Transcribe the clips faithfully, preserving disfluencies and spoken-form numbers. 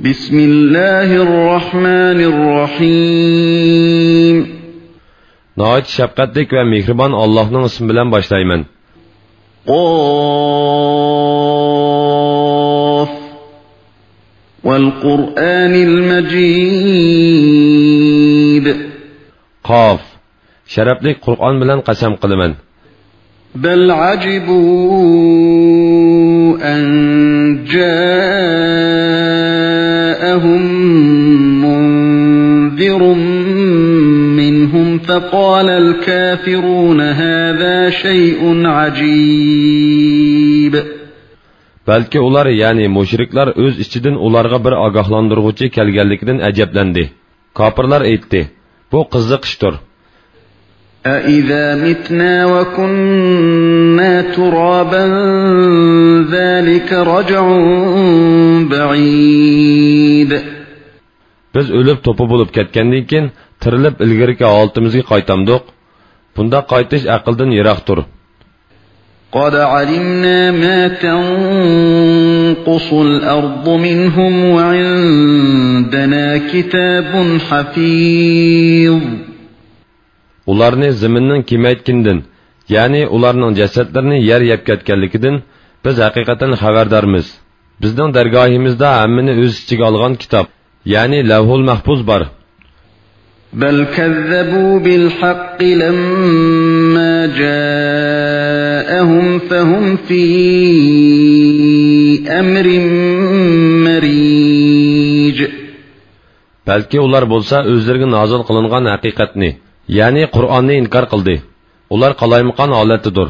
بسم الله الرحمن الرحيم. ناھايىتى شەپقەتلىك ۋە مېھرىبان ئاللاھنىڭ ئىسمى بىلەن باشلايمەن. قاف. والقرآن المجيد. قاف. شەرەپلىك قۇرئان بىلەن قەسەم قىلىمەن. بل عجبوا أن جاءهم منذر منهم فقال الكافرون هذا شيء عجيب. بەلكى ئۇلار، يەنى مۇشرىكلار ئۆز ئىچىدىن ئۇلارغا بىر ئاگاھلاندۇرغۇچى كەلگەنلىكىدىن ئەجەبلەندى. كاپىرلار ئېيتتى: بۇ قىزىق ئىشتۇر. أَإِذَا مِتْنَا وَكُنَّا تُرَابًا ذَلِكَ رَجْعٌ بَعِيدٌ. بىز ئۆلۈپ توپا بولۇپ كەتكەندىن كېيىن تىرىلىپ ئىلگىرىكى ھالىتىمىزگە قايتامدۇق؟ بۇنداق قايتىش ئەقىلدىن يىراقتۇر. قَدْ عَلِمْنَا مَا تَنْقُصُ الْأَرْضُ مِنْهُمْ وَعِنْدَنَا كِتَابٌ حَفِيظٌ. ئۇلارنى زېمىننىڭ كېمەيتكىنىدىن، يەنى ئۇلارنىڭ جەسەتلىرىنى يەر يەپ كەتكەنلىكىدىن بىز ھەقىقەتەن خەۋەردارمىز. بىزنىڭ دەرگاھىمىزدا ھەممىنى ئۆز ئىچىگە ئالغان كىتاب، يەنى لەۋھۇل مەھپۇز بار. بَلْ كَذَّبُوا بِالْحَقِّ لَمَّا جَاءَهُمْ فَهُمْ فِي أَمْرٍ مَرِيجٍ. بەلكى ئۇلار بولسا ئۆزلىرىگە نازىل قىلىنغان ھەقىقەتنى، يەنى قۇرئاننى ئىنكار قىلدى. ئۇلار قالايمىقان ھالەتتىدۇر.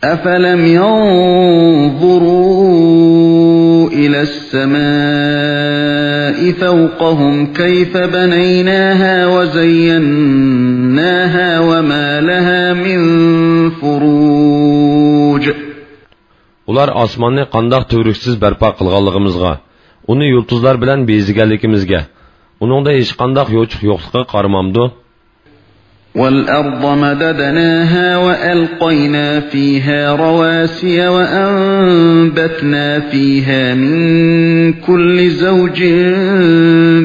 أَفَلَمْ يَنْظُرُوا إِلَى السَّمَاءِ فَوْقَهُمْ كَيْفَ بَنَيْنَاهَا وَزَيَّنَّاهَا وَمَا لَهَا مِنْ فُرُوجٍ. ئۇلار ئاسماننى قانداق تۈۋرۈكسىز بەرپا قىلغانلىقىمىزغا، ئۇنى يۇلتۇزلار بىلەن بېزىگەنلىكىمىزگە، ئۇنىڭدا ھېچقانداق يوچۇق يوقلۇقىغا قارىمامدۇ؟ وَالْأَرْضَ مَدَدْنَاهَا وَأَلْقَيْنَا فِيهَا رَوَاسِيَ وَأَنْبَتْنَا فِيهَا مِنْ كُلِّ زَوْجٍ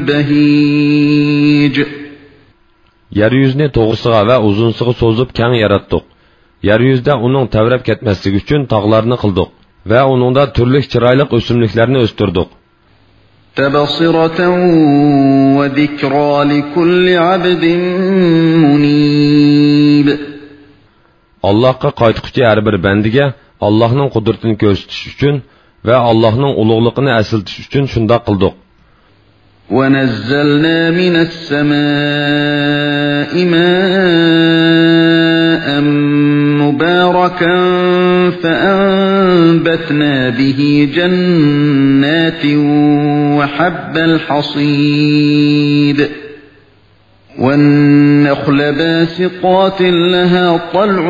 بَهِيجٍ. يەر يۈزىنى توغرىسىغا ۋە ئۇزۇنسىغا سوزۇپ كەڭ ياراتتۇق. يەر يۈزىدە ئۇنىڭ تەۋرەپ كەتمەسلىكى ئۈچۈن تاغلارنى قىلدۇق ۋە ئۇنىڭدا تۈرلۈك چىرايلىق ئۆسۈملۈكلەرنى ئۆستۈردۇق. تَبْصِرَةً وَذِكْرَى لِكُلِّ عَبْدٍ مُنِيبٍ. ئاللاھقا قايتقۇچى ھەر بىر بەندىگە ئاللاھنىڭ قۇدرىتىنى كۆرسىتىش ئۈچۈن ۋە ئاللاھنىڭ ئۇلۇغلۇقىنى ئەسلىتىش ئۈچۈن شۇنداق قىلدۇق. وَنَزَّلْنَا مِنَ السَّمَاءِ مَاءً مُبَارَكًا فَأَنْبَتْنَا بِهِ جَنَّاتٍ وَحَبَّ الْحَصِيدِ. وَالنَّخْلَ بَاسِقَاتٍ لَهَا طَلْعٌ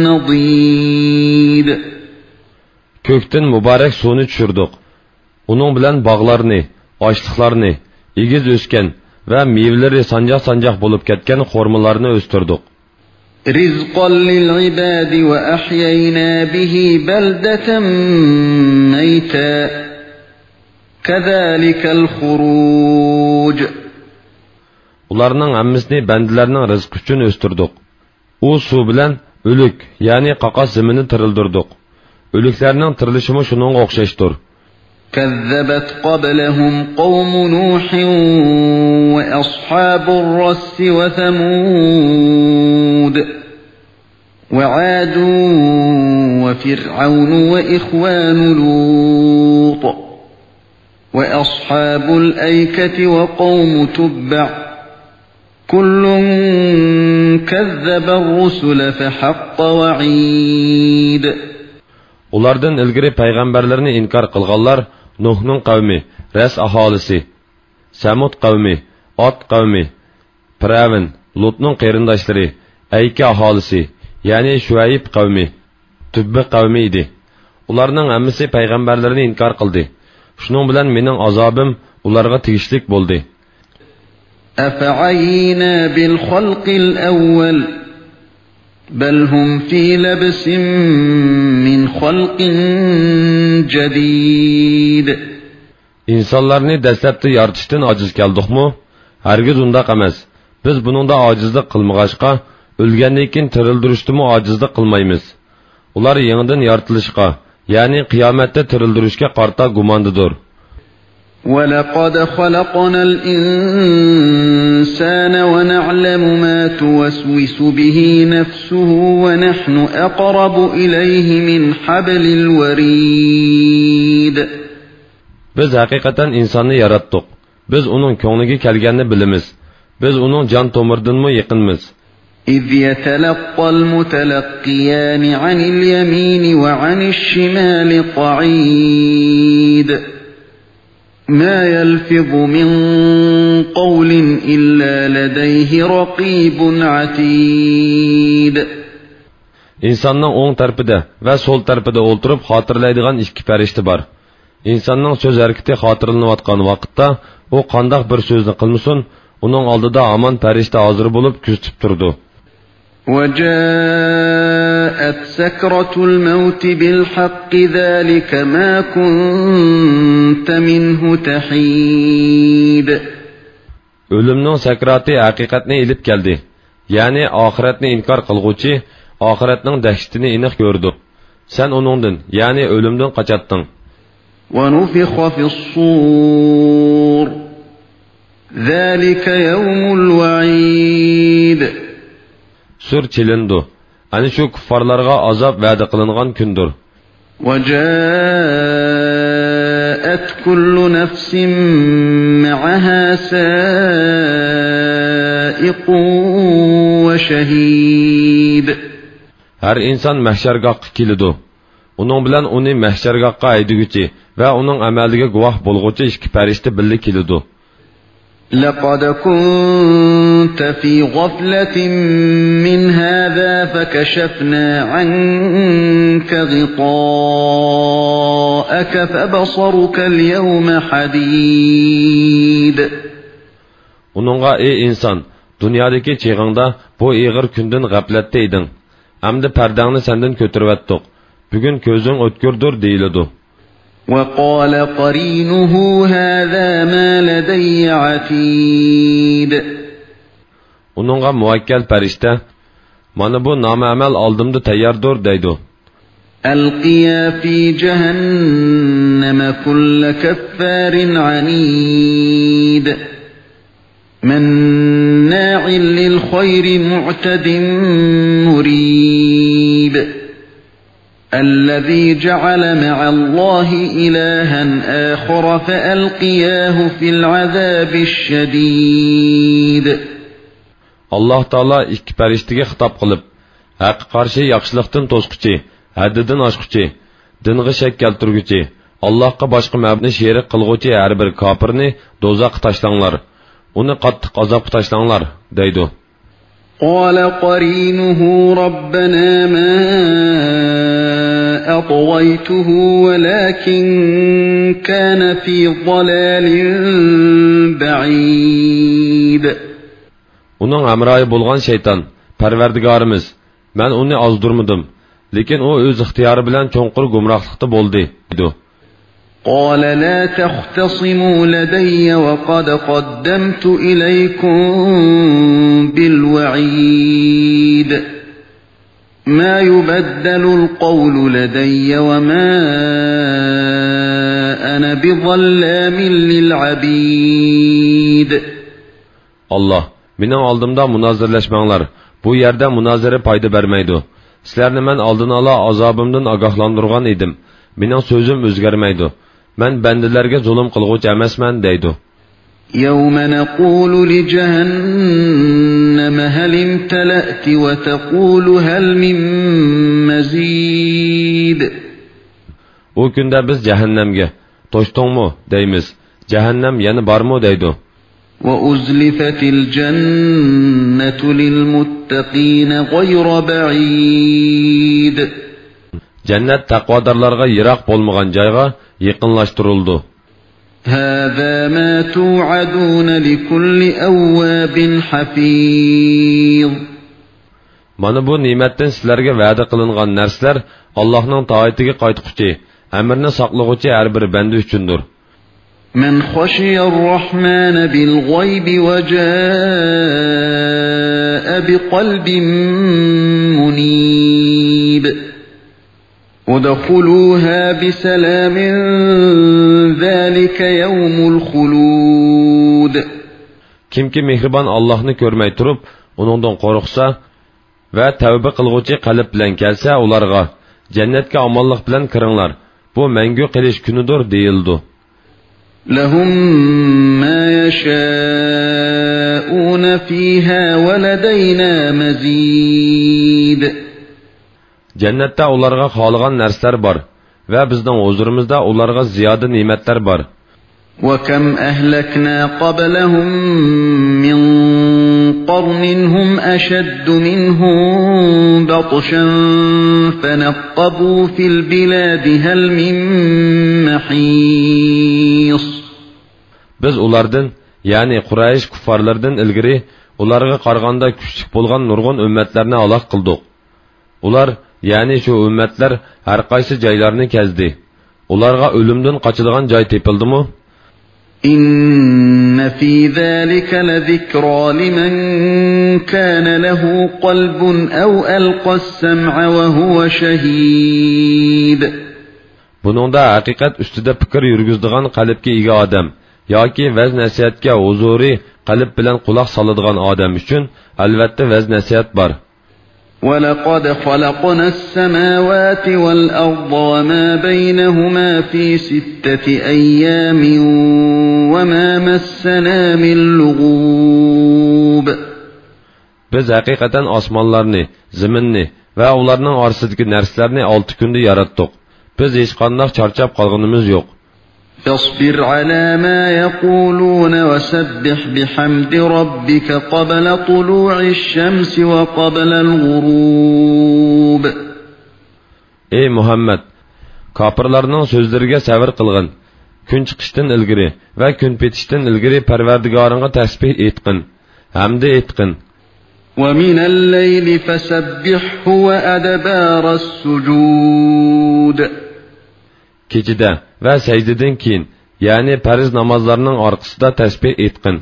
نَضِيدٌ. كۆكتىن مۇبارەك سۇنى چۈشۈردۇق. ئۇنىڭ بىلەن باغلارنى، ئاشلىقلارنى، ئېگىز ئۆسكەن ۋە مېۋىلىرى سانجاق-سانجاق بولۇپ كەتكەن خورمىلارنى ئۆستۈردۇق. رِزْقًا لِلْعِبَادِ وَأَحْيَيْنَا بِهِ بَلْدَةً مَيْتًا كَذَلِكَ الْخُرُوجُ. ئۇلارنىڭ ھەممىسىنى بەندىلەرنىڭ رىزقى ئۈچۈن ئۆستۈردۇق. ئۇ سۇ بىلەن ئۆلۈك، يەنى قاقاس زېمىننى تىرىلدۈردۇق. ئۆلۈكلەرنىڭ تىرىلىشىمۇ شۇنىڭغا ئوخشاشتۇر. كَذَّبَتْ قَبْلَهُمْ قَوْمُ نُوحٍ وَأَصْحَابُ الرَّسِّ وَثَمُودُ وَعَادٌ وَفِرْعَوْنُ وَإِخْوَانُ لُوطٍ وَأَصْحَابُ الْأَيْكَةِ وَقَوْمُ تُبَّعٍ كُلٌّ كَذَّبَ الرُّسُلَ فَحَقَّ وَعِيدِ. ئۇلاردىن ئىلگىرى پەيغەمبەرلىرىنى ئىنكار قىلغانلار نۇھنىڭ قەۋمى، رەس ئاھالىسى، سەمۇد قەۋمى، ئاد قەۋمى، پىرئەۋن، لۇتنىڭ قېرىنداشلىرى، ئەيكە ئاھالىسى، يەنى شۇئەيب قەۋمى، تۇببە قەۋمى ئىدى. ئۇلارنىڭ ھەممىسى پەيغەمبەرلىرىنى ئىنكار قىلدى. شۇنىڭ بىلەن مېنىڭ ئازابىم ئۇلارغا تېگىشلىك بولدى. أَفَعَيِينَا بِالْخَلْقِ الْأَوَّلِ بَلْ هُمْ فِي لَبْسٍ مِّنْ خَلْقٍ جَدِيدٍ. ئىنسانلارنى دەسلەپتە يارىتىشتىن ئاجىز كەلدۇقمۇ؟ ھەرگىز ئۇنداق ئەمەس. بىز بۇنىڭدا ئاجىزلىق قىلمىغاچقا، ئۆلگەندىن كېيىن تىرىلدۈرۈشتىمۇ ئاجىزلىق قىلمايمىز. ئۇلار يېڭىدىن يارىتىلىشقا، يەنى قىيامەتتە تىرىلدۈرۈشكە قارىتا گۇماندىدۇر. ولقد خلقنا الإنسان ونعلم ما توسوس به نفسه ونحن أقرب إليه من حبل الوريد. بىز ھەقىقەتەن ئىنساننى ياراتتۇق. بىز ئۇنىڭ كۆڭلىگە كەلگەننى بىلىمىز. بىز ئۇنىڭ جان تومۇرىدىنمۇ يېقىنمىز. إذ يتلقى المتلقيان عن اليمين وعن الشمال قعيد. ما يلفظ من قول إلا لديه رقيب عتيد. ئىنساننىڭ ئوڭ تەرىپىدە ۋە سول تەرىپىدە ئولتۇرۇپ خاتىرىلەيدىغان ئىككى پەرىشتە بار. ئىنساننىڭ سۆز ھەرىكىتى خاتىرىلىنىۋاتقان ۋاقىتتا، ئۇ قانداق بىر سۆزنى قىلمىسۇن، ئۇنىڭ ئالدىدا ھامان پەرىشتە ھازىر بولۇپ كۆزىتىپ تۇرىدۇ. وجاءت سكرة الموت بالحق ذلك ما كنت منه تحيد. ئۆلۈمنىڭ سەكراتى ھەقىقەتنى ئېلىپ كەلدى. يەنى ئاخىرەتنى ئىنكار قىلغۇچى ئاخىرەتنىڭ دەھشىتىنى ئېنىق كۆرىدۇ. سەن ئۇنىڭدىن، يەنى ئۆلۈمدىن قاچاتتىڭ. ونفخ في الصور. ذلك يوم الوعيد. سۈر چېلىنىدۇ. ئەنە شۇ كۇففارلارغا ئازاب ۋەدە قىلىنغان كۈندۇر. وجاءت كل نفس معها سائق وشهيد. ھەر ئىنسان مەھشەرگاھقا كېلىدۇ. ئۇنىڭ بىلەن ئۇنى مەھشەرگاھقا ھەيدىگۈچى ۋە ئۇنىڭ ئەمەلىگە گۇۋاھ بولغۇچى ئىككى پەرىشتە بىللە كېلىدۇ. لقد كنت في غفلة من هذا فكشفنا عنك غطاءك فبصرك اليوم حديد. ئۇنىڭغا: ئەي ئىنسان، دۇنيادىكى چېغىڭدا بۇ ئېغىر كۈندىن غەپلەتتە ئىدىڭ. ئەمدى پەردەڭنى سەندىن كۆتۈرۈۋەتتۇق. بۈگۈن كۆزۈڭ ئۆتكۈردۇر دېيىلىدۇ. وقال قرينه هذا ما لدي عتيد. ئۇنىڭغا مۇۋەككەل پەرىشتە: مانا بۇ نامە ئەمەل ئالدىمدا تەيياردۇر دەيدۇ. ألقيا في جهنم كل كفار عنيد. مناع للخير معتد مريب. الذي جعل مع الله إلها آخر فألقياه في العذاب الشديد. ئاللاھ تائالا ئىككى پەرىشتىگە خىتاب قىلىپ، ھەققە قارشى ياخشىلىقتىن توسقۇچى، ھەددىدىن ئاشقۇچى، دىنغا شەك كەلتۈرگۈچى، ئاللاھقا باشقا مەبۇدنى شېرىك قىلغۇچى ھەر بىر كاپىرنى دوزاخقا تاشلاڭلار، ئۇنى قاتتىق ئازابقا تاشلاڭلار دەيدۇ. قال قرينه ربنا ما أطغيته ولكن كان في ضلال بعيد. ئۇنىڭ ھەمراھى بولغان شەيتان: پەرۋەردىگارىمىز، مەن ئۇنى ئازدۇرمىدىم، لېكىن ئۇ ئۆز ئىختىيارى بىلەن چوڭقۇر گۇمراھلىقتا بولدى دەيدۇ. قال لا تختصموا لدي وقد قدمت إليكم بالوعيد. ما يبدل القول لدي وما أنا بظلام للعبيد. ئاللاھ: مېنىڭ ئالدىمدا مۇنازىرىلەشمەڭلار، بۇ يەردە مۇنازىرە پايدا بەرمەيدۇ. سىلەرنى مەن ئالدىن ئالا ئازابىمدىن ئاگاھلاندۇرغان ئىدىم. مېنىڭ سۆزۈم ئۆزگەرمەيدۇ. مەن بەندىلەرگە زۇلۇم قىلغۇچى ئەمەسمەن دەيدۇ. يوم نقول لجهنم هل امتلأت وتقول هل من مزيد. ئۇ كۈندە بىز جەھەننەمگە: توشتۇڭمۇ؟ دەيمىز. جەھەننەم يەنە بارمۇ؟ دەيدۇ. وأزلفت الجنة للمتقين غير بعيد. جەننەت تەقۋادارلارغا يىراق بولمىغان جايغا يېقىنلاشتۇرۇلىدۇ. هذا ما توعدون لكل أواب حفيظ. مانا بۇ نېمەتتىن سىلەرگە ۋەدە قىلىنغان نەرسىلەر ئاللاھنىڭ تائىتىگە قايتقۇچى، ئەمرىنى ساقلىغۇچى ھەر بىر بەندە ئۈچۈندۇر. من خشي الرحمن بالغيب وجاء بقلب منيب. ادخلوها بسلام ذلك يوم الخلود. كىمكى مېھرىبان ئاللاھنى كۆرمەي تۇرۇپ، ئۇنىڭدىن قورقسا، ۋە تەۋبە قىلغۇچى قەلب بىلەن كەلسە، ئۇلارغا، جەننەتكە ئامانلىق بىلەن كىرىڭلار، بۇ مەڭگۈ قېلىش كۈنىدۇر، دېيىلىدۇ. لهم ما يشاءون فيها ولدينا مزيد. جەننەتتە ئۇلارغا خالىغان نەرسىلەر بار ۋە بىزنىڭ ھۇزۇرىمىزدا ئۇلارغا زىيادە نېمەتلەر بار. وكم أهلكنا قبلهم من قرن هم أشد منهم بطشا فنقبوا في البلاد هل من محيص. بىز ئۇلاردىن، يەنى قۇرەيش كۇففارلىرىدىن ئىلگىرى ئۇلارغا قارىغاندا كۈچلۈك بولغان نۇرغۇن ئۈممەتلەرنى ھالاك قىلدۇق. ئۇلار، يەنى شۇ ئۈممەتلەر ھەرقايسى جايلارنى كەزدى. ئۇلارغا ئۆلۈمدىن قاچىدىغان جاي تېپىلدىمۇ؟ إن في ذلك لذكرى لمن كان له قلب أو ألقى السمع وهو شهيد. بۇنىڭدا ھەقىقەت ئۈستىدە پىكىر يۈرگۈزىدىغان قەلبكە ئىگە ئادەم ياكى ۋەز-نەسىھەتكە ھۇزۇرى قەلب بىلەن قۇلاق سالىدىغان ئادەم ئۈچۈن ئەلۋەتتە ۋەز-نەسىھەت بار. ولقد خلقنا السماوات والأرض وما بينهما في ستة أيام وما مسنا من لغوب. بىز ھەقىقەتەن ئاسمانلارنى، زېمىننى ۋە ئۇلارنىڭ ئارىسىدىكى نەرسىلەرنى ئالتە كۈندە ياراتتۇق. بىز ھېچقانداق چارچاپ قالغىنىمىز يوق. فاصبر على ما يقولون وسبح بحمد ربك قبل طلوع الشمس وقبل الغروب. ئەي مۇھەممەد! كاپىرلارنىڭ سۆزلىرىگە سەۋر قىلغىن. كۈن چىقىشتىن ئىلگىرى ۋە كۈن پېتىشتىن ئىلگىرى پەرۋەردىگارىڭغا تەسبىھ ئېيتقىن، ھەمدە ئېيتقىن. ومن الليل فسبحه وأدبار السجود. كېچىدە ۋە سەجدىدىن كېيىن، يەنى پەرز نامازلارنىڭ ئارقىسىدا تەسبىھ ئېيتقىن.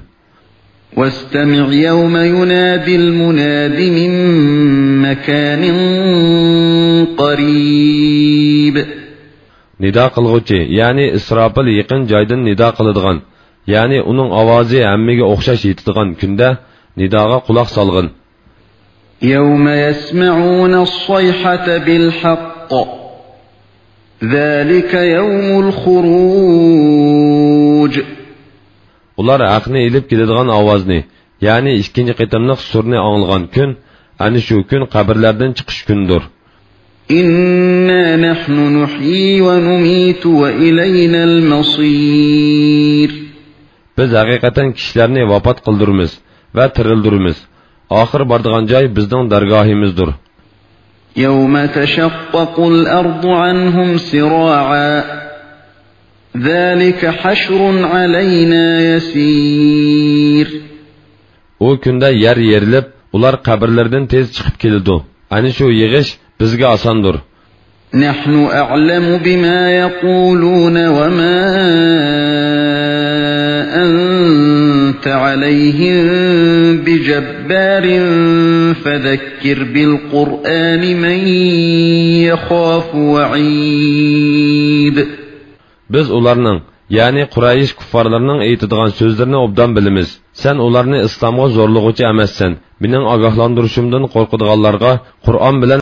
واستمع يوم يناد المناد من مكان قريب. نىدا قىلغۇچى، يەنى ئىسراپىل يېقىن جايدىن نىدا قىلىدىغان، يەنى ئۇنىڭ ئاۋازى ھەممىگە ئوخشاش يېتىدىغان كۈندە نىداغا قۇلاق سالغىن. يوم يسمعون الصيحة بالحق ذلك يوم الخروج. ئۇلار ھەقنى ئېلىپ كېلىدىغان ئاۋازنى، يەنى ئىككىنچى قېتىملىق سۈرنى ئاڭلىغان كۈن، ئەنە شۇ كۈن قەبرىلەردىن چىقىش كۈنىدۇر. إنا نحن نحيي ونميت وإلينا المصير. بىز ھەقىقەتەن كىشىلەرنى ۋاپات قىلدۇرىمىز ۋە تىرىلدۈرىمىز. ئاخىر بارىدىغان جاي بىزنىڭ دەرگاھىمىزدۇر. يوم تشقق الأرض عنهم سراعا ذلك حشر علينا يسير. ئۇ كۈندە يەر يېرىلىپ، ئۇلار قەبرىلىرىدىن تېز چىقىپ كېلىدۇ. ئەنە شۇ يىغىش بىزگە ئاساندۇر. نحن أعلم بما يقولون وما أنت عليهم بجبار فذكر بالقرآن من يخاف وعيد. بىز ئۇلارنىڭ، يەنى قۇرەيش كۇففارلىرىنىڭ ئېيتىدىغان سۆزلىرىنى ئوبدان بىلىمىز. سەن ئۇلارنى ئىسلامغا زورلىغۇچى ئەمەسسەن. مېنىڭ ئاگاھلاندۇرۇشۇمدىن قورقىدىغانلارغا قۇرئان بىلەن